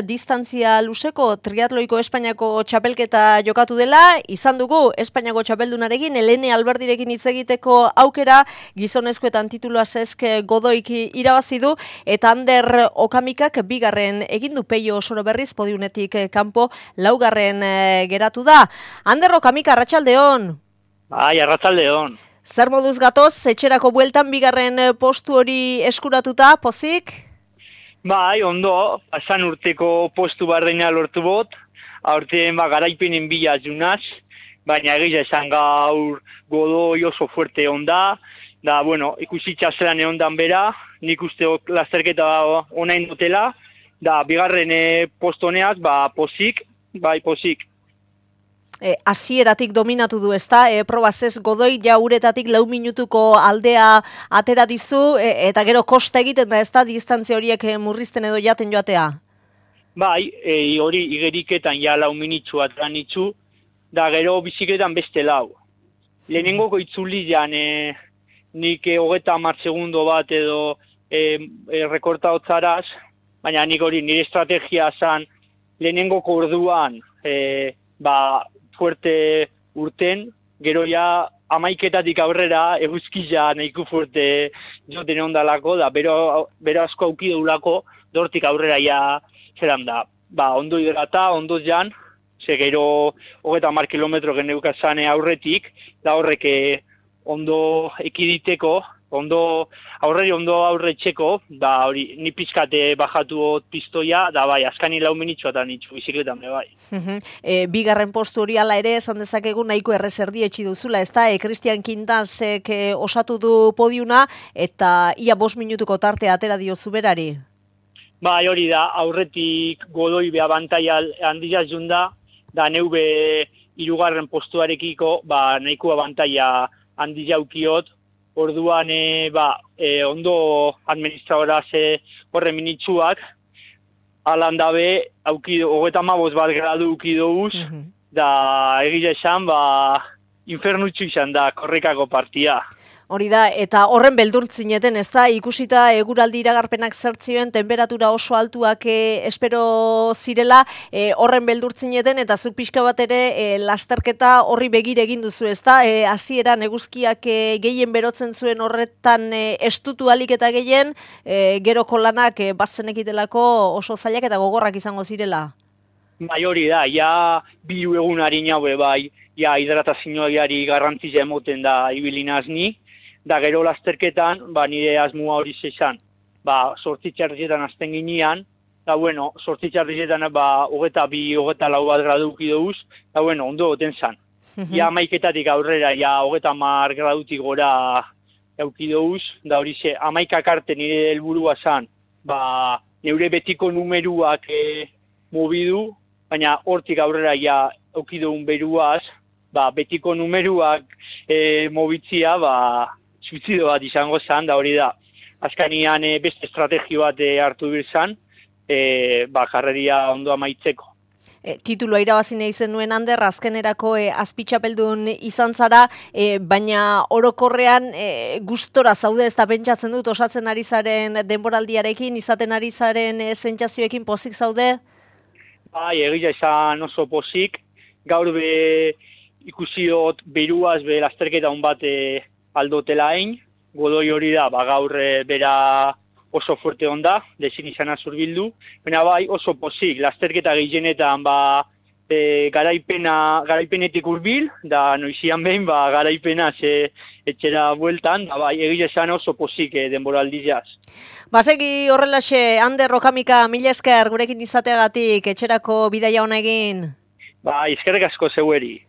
Distantzia luzeko triatloiko Espainiako txapelketa jokatu dela, izan dugu Espainiako txapeldunarekin, Helene Alberdirekin hitz egiteko aukera, gizonezkoetan titulua Cesc Godoik irabazi du, eta Ander Okamikak bigarren egin du. Peio Osoro berriz podiunetik kanpo laugarren geratu da. Ander Okamika, arratsaldeon. Bai, arratsaldeon. Zer moduz gatoz, etxerako bueltan bigarren postu hori eskuratuta, pozik? Bai, ondo, pasan urteko postu bardena lortu bot, aurten garaipenen bila junaz, baina egia esan gaur Godoi oso fuerte onda, da, bueno, ikusitza zelan egondan bera, nik uste lasterketa onain dutela, da, bigarren postu honeaz, pozik, bai, pozik. Hasieratik dominatu du, ezta? Proba Cesc Godoi ja uretatik 4 minutuko aldea atera dizu, eta gero kosta egiten da, ezta? Distantzia horiek murrizten edo jaten joatea? Bai, hori igeriketan ja 4 minutxu atera nitzu, da gero biziketan beste 4. Lehenengoko itzulian nik 30 segundo bat edo rekorta hotzaraz, baina nik hori nire estrategia zan lehenengoko orduan fuerte urten, gero ja 11 aurrera eguzkia nahiko fuerte joten ondalako, da bero asko aukideulako, dortik aurrera ja zelan da. Ondo hidrata, ondo jan, ze gero 30 kilometro geneukazane aurretik, da horrek ondo ekiditeko, aurretxeko, da hori ni pizkate bajatu pistoia, da bai, azkani 4 minutxu eta nitzu bizikletan bai. Bigarren postu hori ala ere, esan dezakegu nahiko errezerdi etxi duzula, ezta? Cristian Quintasek osatu du podiuna, eta ia 5 minutuko tartea atera diozu berari. Bai, hori da, aurretik Godoi abantaia handia junda, da neube 3. postuarekiko, nahiko abantaia handia ukiot, orduan, ondo administradora horren minitzuak, alan dabe, 35 gradu ukidouz, da egia esan, infernutxu izan da, korrekako partia. Hori da, eta horren beldurtzineten, ez da, ikusita eguraldi iragarpenak zertzioen, temperatura oso altuak espero zirela, horren beldurtzineten, eta zuk pixka bat ere lasterketa horri begire egin duzu, ez da, hasieran eguzkiak gehien berotzen zuen horretan estutu alik eta gehien, geroko lanak bazenekitelako oso zailak eta gogorrak izango zirela. Bai, hori da, ja 2 egunari naue, bai, ja hidratazioari garrantzia emoten da ibilinaz ni, da gero lasterketan, nire asmoa hori zezan, 8 txardietan azten ginean, da bueno, 8 txardietan 22-24 gradu ukidouz, da bueno, ondo goten zan. Ja 11 aurrera, ja 30 gradutik gora eukidouz, da hori ze, 11 arte nire helburua zan, neure betiko numeruak mobidu, baina hortik aurrera ja eukidoun beruaz, betiko numeruak mobitzia, suizido bat izango zan, da hori da. Azkanian beste estrategio bat hartu birzan, jarreria ondo amaitzeko. Titulua irabazi nahi zen nuen Ander, azkenerako azpitxapeldun izan zara, baina orokorrean gustora zaude, ez da pentsatzen dut, osatzen ari zaren denboraldiarekin, izaten ari zaren sentsazioekin pozik zaude? Bai, egia izan oso pozik, gaur ikusiot beruaz lasterketa hon bat aldotela hain, Godoi hori da, gaur bera oso fuerte onda, dezin izana zurbildu, baina bai oso pozik, lasterketa gehienetan garaipenetik urbil, da noizian behin garaipena etxera bueltan, da bai egia esan oso pozik denboraldiaz. Basegi horrelaxe, Ander Okamika, mila esker gurekin izateagatik, etxerako bidaia hona egin. Eskerrik asko zeueri.